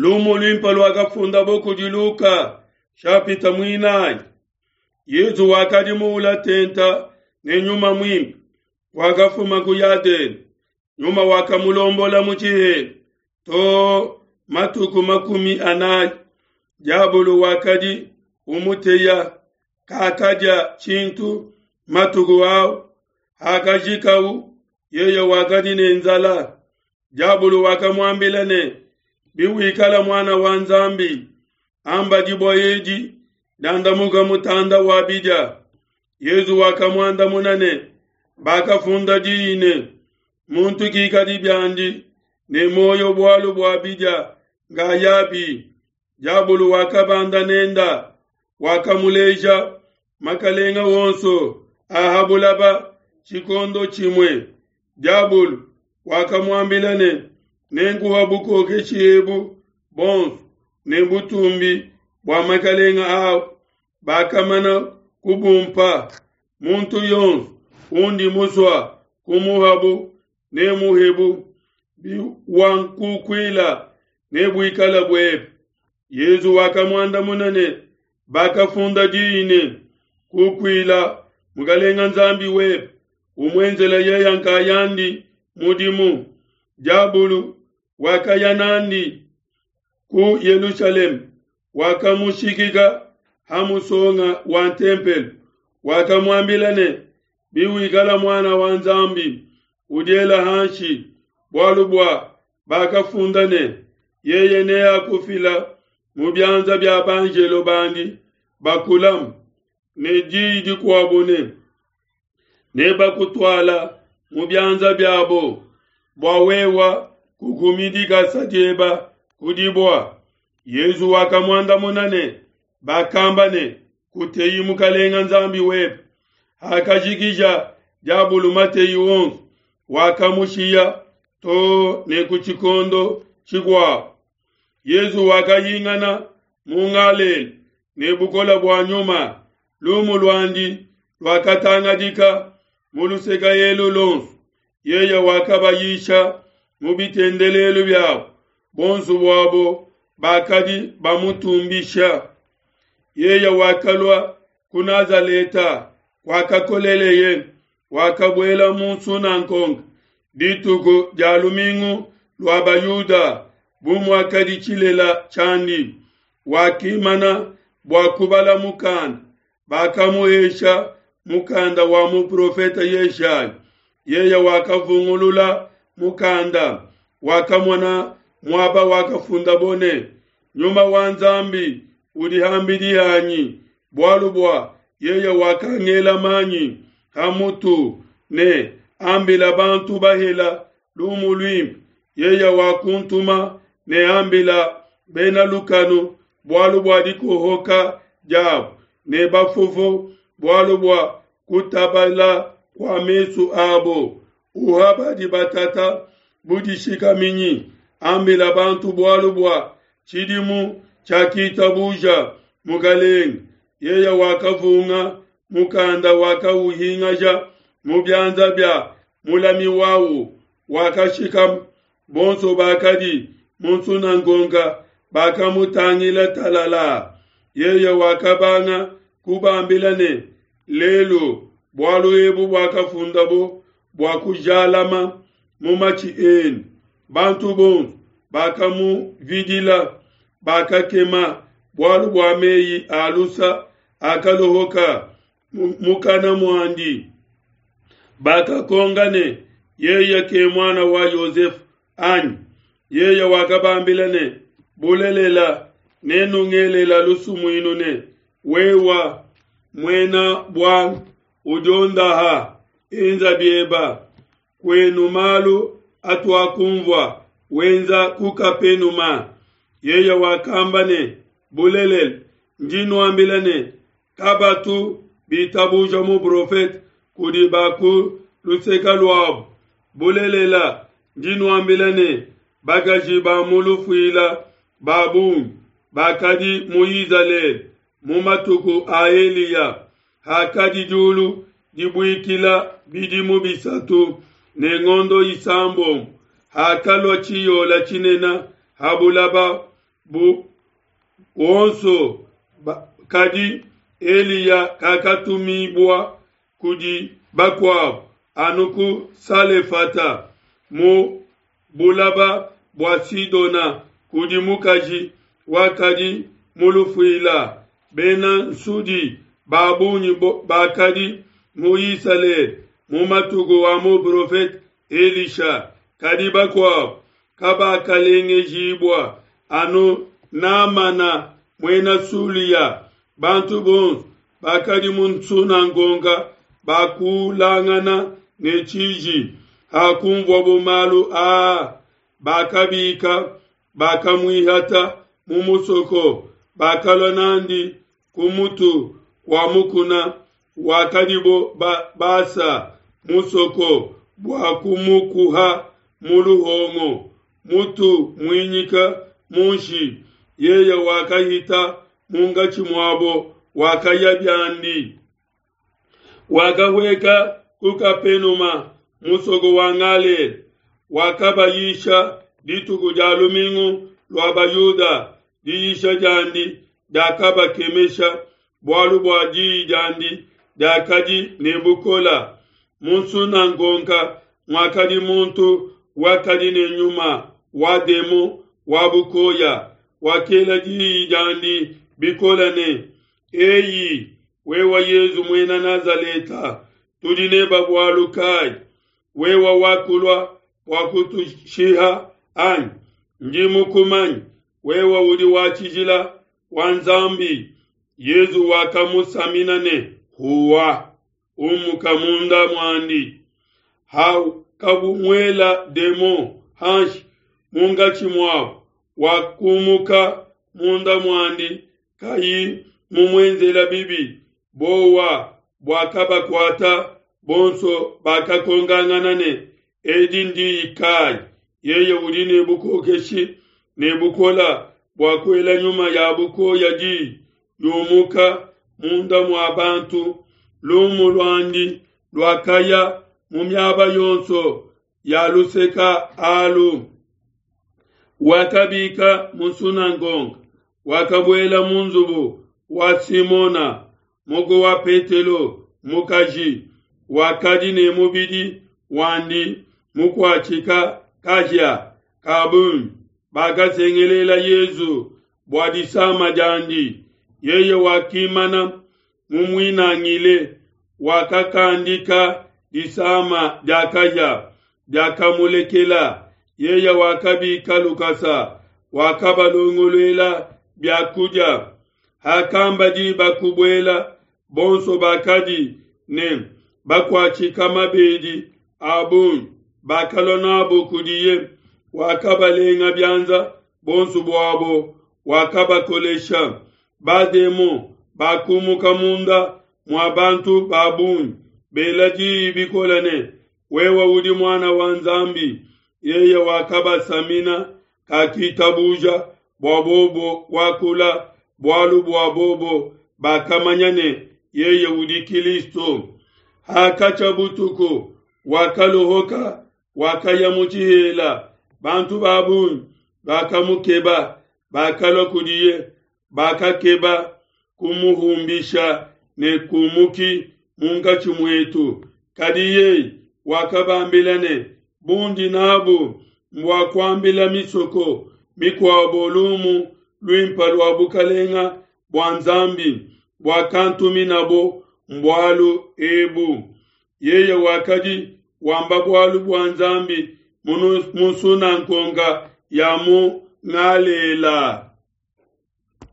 Lumu luimpe luakafundabo kudi Luka, shapita muinayi. Yezu wakadi muula tenta ne Nyuma Muimpe, wakafuma ku Yadene. Nyuma wakamulombola mu tshihela too matuku 40. Diabolo wakadi umuteya, kakadia tshintu matuku au. Hakajikau, yeye wakadi ne nzala. Diabolo wakamuambila ne, Biwikala muana wa Nzambi, amba dibue edi diandamuka mutanda wa bidia. Yezu wakamuandamuna ne, Bakafunda diyi ne, muntu kikadi biandi ne muoyo bualu bua bidia ngayabi. Diabolo wakabanda nenda, wakamuleja makalenga wonso a ha bulaba tshikondo tshimue. Diabolo wakamuambila ne, Nenkuha bukokeshi ebu bonso ne butumbi bua makalenga au, bakamana kubumpa. Muntu yonso undi musua kumuhabu nemuhebu, biwankukuila nebuikala buebe. Yezu wakamuandamuna ne, Bakafunda diyi ne, Kukuila Mukalenga Nzambi webe, umuenzela yeya nkayandi mudimu. Diabulu wakaya nandi ku Yelushalema, wakamushikika ha musonga wa ntempelo, wakamuambila ne, Biwikala muana wa Nzambi, udiela hanshi, bualu bua bakafunda ne, Yeye neakufila mu bianza bia banjelo bandi bakulamu, ne diyi dikuabo ne, Nebakutuala mu bianza biabo, bua wewa kukumi dikasa dieba ku dibua. Yezu wakamuandamuna ne, Bakamba ne, Kuteyi Mukalenga Nzambi webe. Hakajikija diabulu mateyi wonso, wakamushiya too ne ku tshikondo tshikuabo. Yezu wakahingana mu Ngalela ne bukole bua Nyuma, lumu luandi luakatangadika mu luseke elu luonso. Yeye wakabayisha mu bitendelelu biabo, bonso buabo bakadi bamutumbisha. Yeye wakalua ku Nazaleta kuakakoleleye, wakabuela mu nsunangonga dituku dia lumingu lua Bayuda, bu muakadi tshilela tshiandi. Wakimana bua kubala mukanda, bakamuhesha mukanda wa muprofete Yeshaya. Yeye wakavungulula mukanda, wakamona muaba wakafundabo ne, Nyuma wa Nzambi udi ham'bidi hanyi, bualu bua yeye wakangela manyi ha mutu ne ambila bantu bahela lumu luimpe. Yeye wakuntuma ne ambila bena lukanu bualu bua dikohoka diabo, ne bafofo bualu bua kutabala kua mesu abo, uha badi batata budishikaminyi, ambila bantu bualu bua tshidimu tshiakitabuja Mukelenge. Yeye wakavunga mukanda, wakauhingaja mu bianza bia mulami wawu, wakashikama. Bonso bakadi mu nsunangonga bakamutangila talala. Yeye wakabanga kubambila ne, Lelu bualu ebu buakafundabo bua kujalama mu matshi enu. Bantu bonso bakamuvidila, bakakema bualu bua meyi a lusa akalohoka mukana muandi. Bakakonga ne, Yeye ke muana wa Yosefe anyi? Yeye wakabambila ne, Bulelela, nenungelela lusumuinu ne, Wewa muena buanga udiondaha, enza bieba kuenu malu atuakunvua wenza ku Kapenuma. Yeye wakamba ne, Bulelela, ndi nuambila ne, kabatu bitabuja muprofete kudi ba ku luseke luabo. Bulelela, ndi nuambila ne, bakaji ba mu lufuila ba bungi bakadi mu Izalele mu matuku a Eliya, hakadi diulu dibuikila bidimu bisatu ne ngondo isambombo, hakalua tshiyola tshinene ha bulaba. bu onso kadi Eliya kakatumibua kudi bakuabo anu ku Salefata mu bulaba bua Sidona kudi mukaji wakadi mu lufuila. Bena nsudi ba bungi bakadi mu Isalele mu matuku a muprofete Elisha, kadi bakuabo kabakalengejibua anu Namana muena Sulia. Bantu bonso bakadi mu nsunangonga bakulangana ne tshiji hakumvuabo malu aa, bakabika bakamuihata mu musoko, bakalua nandi ku mutu kua mukuna wakadibo basa musoko bua kumukuha mu luhongo, mutu muinyika munshi. Yeye wakahita munkatshi muabo, wakaya biandi. Wakahueka ku Kapenuma, musoko wa Galela, wakabayisha dituku dia lumingu lua Bayuda. Diyisha diandi diakabakemesha, bualu bua diyi diandi diakadi ne bukole. Mu nsunangonga muakadi muntu wakadi ne nyuma wa demon wa bukoya, wakela diyi diandi bikole ne: Eyi, wewe Yezu muena Nazaleta, tudi neba bualu kayi? Wewe wakulua bua kutushiha anyi? Ndi mukumanye, wewe udi wa tshijila wa Nzambi. Yezu wakamusamina ne: Huwa, umuka munda muandi. Hakabumuela demon hanshi munkatshi muabo, wakumuka munda muandi kayi mumuenzela bibi. Bowa buakabakuata bonso, bakakongangana ne: Edi ndiyi kayi? Yeye udi ne bukokeshi ne bukola bua kuela nyuma ya bukoya diyi, yumuka munda mua bantu. Lumu luandi luakaya mu miaba yonso ya luseka alu. Wakabika mu nsunangonga, wakabuela mu nzubu wa Simona, muku wa Petelo mukaji, wakadi ne mubidi wandi mukuatshika kahia ka bungi. Bakasengelela Yezu bua disama diandi. Yeye wakimana mumuinangile, wakakandika disama dia kahia diakamulekela. Yeye wakabika lukasa, wakabalongoluela biakudia. Hakamba diba kubuela, bonso bakadi ne bakuatshika mabedi a bungi bakalua nabo kudiye. Wakabalenga bianza bonso buabo, wakabakolesha. Bademon bakumuka munda mua bantu ba bungi, bela diyi bikole ne: Wewe udi muana wa Nzambi. Yeye wakabasamina, kakitabuja bua bobo kuakula, bualu bua bobo bakamanya ne, yeye udi Kilisto. Hakatshia butuku, wakalohoka, wakaya mu tshihela. Bantu ba bungi bakamukeba, bakalua kudiye, bakakeba kumuhumbisha ne kumuki munkatshi muetu. Kadi yeye wakabambila ne: Bundi nabu mbua kuambila misoko mikuabo lumu luimpe lua bukalenga bua Nzambi buakantuminabo mbualu ebu. Yeye wakadi wamba bualu bua Nzambi mu nsunangonga ya mu Galela.